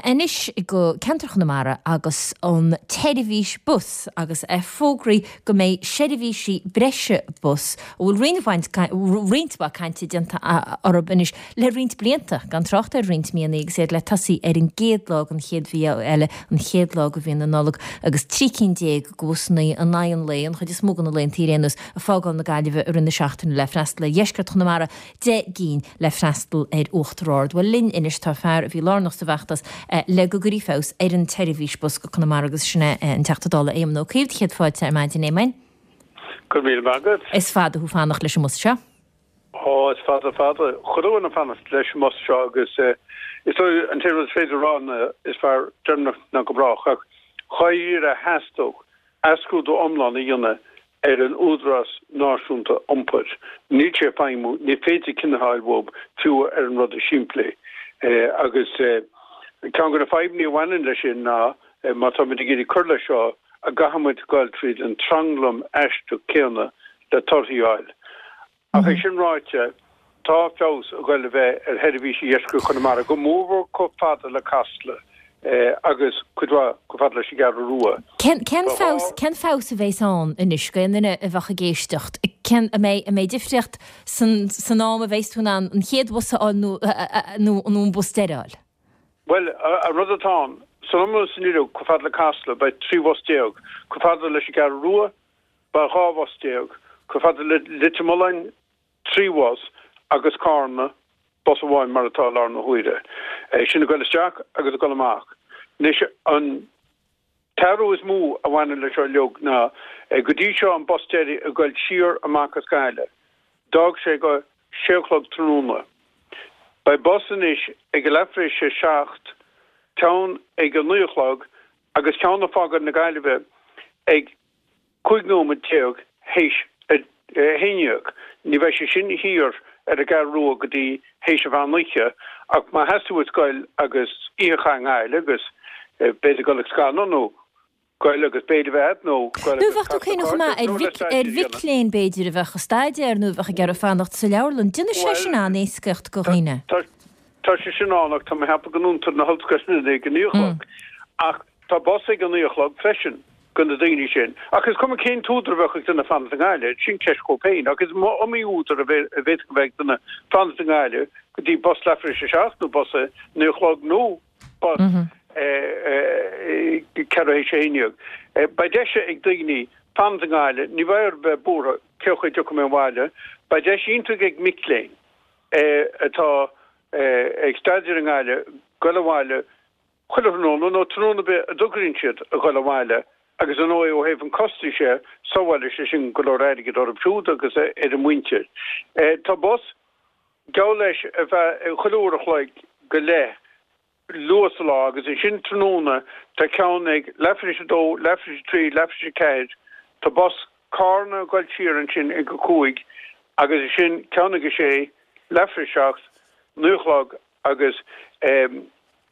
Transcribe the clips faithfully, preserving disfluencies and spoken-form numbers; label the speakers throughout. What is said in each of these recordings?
Speaker 1: Anois go ceantar Chonamara agus an tseirbhís bus agus fógraí go mbeidh seirbhísí breise bus a bhfuil roinnt roinnt mhaith cainte déanta orthu anois le roinnt blianta gan trácht ar roinnt míonna agus iad le tosaí ar an gcéad lá den chéad mhí eile an chéad lá de mhí na Nollag agus trí cinn déag de bhusanna in aghaidh an lae an chuid is mó de na laethanta ar aon nós ag fágáil na Gaillimhe i rith na seachtaine le freastal ar dheisceart Chonamara deich gcinn le freastal ar Uachtar Ard. Bhuel linn anois tá fear a bhí lárnach sa bhfeachtas le go gcuirfí feabhas ar an tseirbhís bus go Conamara agus sin é an Teachta Dála Éamon Ó Cuív céad fáilte ar maidin Éamoin.
Speaker 2: Go raibh míle maith agat.
Speaker 1: Is fada thú fanacht leis an mbus seo.
Speaker 2: Ó is fada fada chuile dhuine fanacht leis an mbus seo agus is dóigh an t-aon rud is féidir rá ná is fearr deireanach ná go brách ach dháiríre theastódh athscrúdú iomlán a dhéanamh ar an Údarás Náisiúnta Iompair. Níl sé ag feidhmiú, ní féidir cinneadh a fháil uathu fiú ar an rud is simplí. Agus ceann de na fadhbanna a bhaineann leis sin ná má táimid ag iarraidh cur leis seo, an gcaithfidh muid dul tríd an tranglam aisteach céanna le torthaí a fháil. Ach é sin ráite, tá feabhas ag dul a bheith ar sheirbhísí dheisceart Chonamara, go mórmhór chomh fada le Casla agus cuid mhaith chomh fada leis an gCeathrú Rua.
Speaker 1: Cén feabhas, cén feabhas a bheas ann anois go aon duine a bheadh ag éisteacht? Cén, an mbeidh, an mbeidh difríocht san, san am a bheas tú in ann an chéad bhus a fháil nó, nó, nó an bus deiridh a fháil?
Speaker 2: Bhuel, an rud atá ann, san iomlán is san uilig, chomh fada le Casla, beidh trí bhus déag. Chomh fada leis an gCeathrú Rua, beidh dhá bhus déag. Chomh fada le Leitir Mealláin, trí bhus, agus Carna, bus amháin mar atá i láthair na huaire. Sin ag dul isteach agus ag dul amach. Anois, an t-athrú is mó a bhaineann leis seo uilig ná go dtí seo an bus deiridh ag dul siar amach as Gaillimh, d'fhág sé go sé a chlog tráthnóna. Beidh bus anois ag a leath tar éis a seacht, ceann ag a naoi a chlog agus ceann ag fágáil na Gaillimhe ag cúig nóiméad déag théis a haon déag. Ní bheidh sé sin thiar ar an gCeathrú Rua go dtí théis an mheán oíche ach má theastaigh uait goil agus oíche a chaitheamh i nGaillimh agus b'fhéidir goil ag scannán nó goil agus béile a bheith agat nó goil
Speaker 1: Nó
Speaker 2: agus
Speaker 1: bheadh tú
Speaker 2: casadh
Speaker 1: cuimhneach
Speaker 2: cairde
Speaker 1: maith ar
Speaker 2: nó le
Speaker 1: mhic ar
Speaker 2: staidéar a
Speaker 1: mhic
Speaker 2: dhéanamh.
Speaker 1: léinn b'fhéidir a bheadh ag staidéar nó a bheadh ag iarraidh fanacht sa leabharlann. Déanfaidh sé
Speaker 2: Bhuel,
Speaker 1: sin an-éascaíocht go dhaoine.
Speaker 2: tá tá sé sin ann ach tá mé ag ceapadh go ndúntar na hollscoileanna ag a naoi a chlog. Ach tá bus ag a naoi a chlog freisin do na daoine sin. Ach is cuma cén t-údar a bheadh ag duine fanacht i nGaillimh, sin ceist dhó féin. Ach is iomaí údar a bhféadfadh a bheith ag duine fanacht i nGaillimh go dtí bus leath tar éis a seacht nó bus a naoi a chlog nó bus ceathrú théis a haon déag. Beidh deis ag daoine fanacht i nGaillimh, ní bheidh orthu bheith buartha cén chaoi a dtiocfaidh mé abhaile. Beidh deis iontach ag mic léinn atá ag staidéar i nGaillimh goil abhaile chuile thráthnóna nó tráthnóna ar bith a dtograíonn siad a ghoil abhaile agus ar ndóigh ó thaobh an chostais de, sábhálfaidh sé sin go leor airgid orthu siúd agus ar a muintir. Tá bus, geall leis, ar feadh chuile uair a chloig go leith luath sa lá agus ansin tráthnóna tá ceann ag leath tar éis a dó, leath tar éis a trí, leath tar éis a ceathair. Tá bus Carna ag goil siar ansin ag a cúig agus ansin ceann ag a sé, leath tar éis a seacht, naoi a chlog agus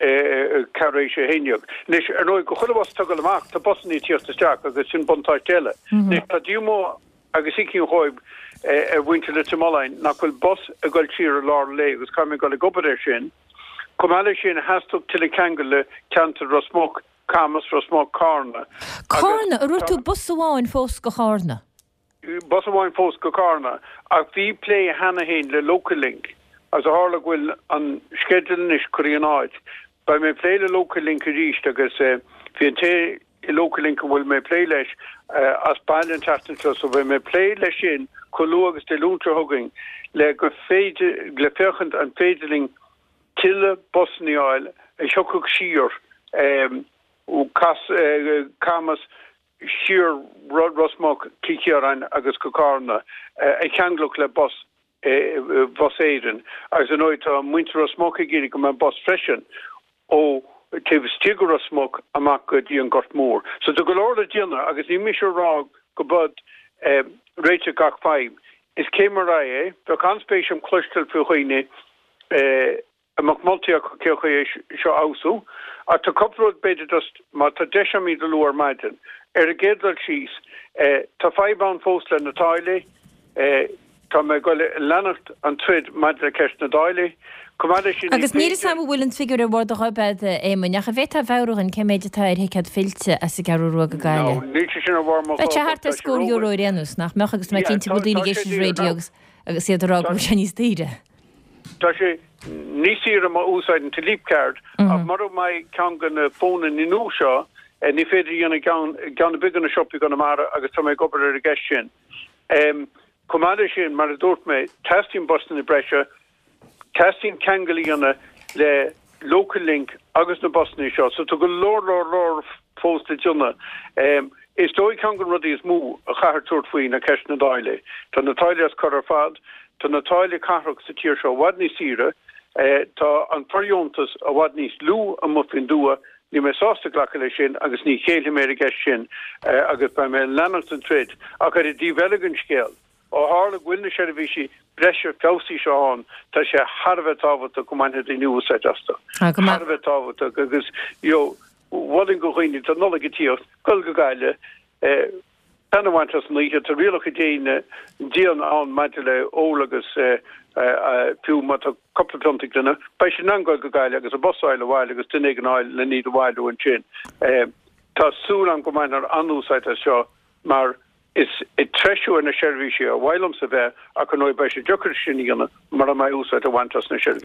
Speaker 2: ceathrú théis a haon déag. Anois, ar ndóigh, go chuile bhus atá ag dul amach, tá busanna ag tíocht isteach agus sin buntáiste eile. Anois, tá díomá agus ícín dhóibh ar mhuintir Leitir Mealláin nach bhfuil bus ag dul siar i lár an lae agus caithfidh mé dul ag obair air sin. Chomh maith leis sin, theastódh tuilleadh ceangal le ceantar Ros Muc, Camas, Ros Muc, Carna agus
Speaker 1: Carna? An dúirt tú bus amháin fós go Carna?
Speaker 2: Bus amháin fós go Carna ach bhí plé cheana féin le Local Link agus ó tharla go bhfuil an sceideal anois curtha in áit, beidh mé ag plé le Local Link arís agus bhí an té i Local Link a bhfuil mé ag plé leis as baile an tseachtain seo so beidh mé ag plé leis sin chomh luath agus Dé Luain seo chugainn le go féidir, le féachaint an féidir linn tuilleadh busanna a fháil a thiocfadh siar ó Camas siar Ros Muc, Cill Chiaráin agus go Carna, a cheanglódh le bus Bhus Éireann. Agus ar ndóigh tá muintir Ros Muc ag iarraidh go mbeadh bus freisin ó taobh istigh de Ros Muc amach go dtí an Gort Mór. So tá go leor le déanamh agus níl mise ag rá go b'eod réiteach gach fadhb. Is céim ar aghaidh é. Bheadh an-spéis agam cloisteáil faoi dhaoine a mbeadh moltaí acu cén chaoi é seo a fheabhsú. Ach tá cúpla rud b'fhéidir just má tá deis agam iad a lua ar maidin. Ar an gcéad dul síos, tá fadhb ann fós le na táillí. Tá mé ag goil a leanacht an troid maidir le ceist na dtáillí. Chomh maith leis sin, ní
Speaker 1: Agus níl
Speaker 2: féidir.
Speaker 1: fhios a'm an bhfuil an figiúr ar bharr do ghoib a'd, a Éamoinn, ach an bhféadfá a mheabhrú dhúinn cé méid atá ar thicéad fillte as an gCeathrú Rua go
Speaker 2: No,
Speaker 1: Gaillimh?
Speaker 2: níl sé sin ar bharr mo
Speaker 1: Bheadh sé
Speaker 2: ghoib
Speaker 1: thart
Speaker 2: ach
Speaker 1: ar
Speaker 2: tá sé
Speaker 1: scór euro
Speaker 2: rómhaith.
Speaker 1: ar aon nós, nach mbeadh agus tá mé
Speaker 2: Yeah,
Speaker 1: cinnte
Speaker 2: tá
Speaker 1: go bhfuil daoine
Speaker 2: tá
Speaker 1: ag
Speaker 2: sé
Speaker 1: éisteacht leis an
Speaker 2: daor
Speaker 1: raidió
Speaker 2: now.
Speaker 1: agus agus iad ag rá go
Speaker 2: Tá
Speaker 1: bhfuil sé níos daoire.
Speaker 2: Tá sé níos saoire má úsáideann tú Leap Card ach mura mbeidh ceann de na fónanna nua seo, eh, ní féidir a dhéanamh ceann ceann ar bith de na siopaí i gConamara agus tá mé ag obair ar an gceist sin. Um, Chomh maith leis sin, mar a dúirt mé, teastaíonn busanna breise, teastaíonn ceangal a dhéanamh le Local Link agus na busanna seo, so tá go leor leor leor fós le déanamh. Um, is dóigh ceann de na rudaí is mó a chaithfear tabhairt faoi ná ceist na dtáillí. Tá na táillí as cor ar fad, tá na táillí cathrach sa tír seo i bhfad níos saoire, eh, tá an fóirdheontas i bhfad níos lú amuigh faoin dtuath, níl mé sásta glacadh leis sin agus ní chéillfidh mé ar an gceist sin eh, agus beidh mé ag leanacht den troid ach ar an dtaobh eile den scéal. Ó tharla go bhfuil na seirbhísí breise feabhsaithe seo ann, tá sé thar a bheith tábhachtach go mbainfidh daoine úsáid astu.
Speaker 1: Ah, go
Speaker 2: Thar a bheith tábhachtach agus you know, mholfainn do dhaoine tá Nollaig ag tíocht, gul go Gaillimh, eh, taitneamh a bhaint as an oíche, tá rialacha diana dian ann maidir le ól agus eh, eh, eh, fiú má tá cúpla pionta ag duine, beidh sé in ann gul go Gaillimh agus an bus a fháil abhaile agus duine éigin a fháil le iad a bhailiú ansin. Eh, tá súil agam go mbainfear an-úsáid as seo mar is ag treisiú ar na seirbhísí ar mhaith liomsa bheith ach an beidh sé deacair sin a dhéanamh mura mbeidh úsáid á baint as na seirbhísí.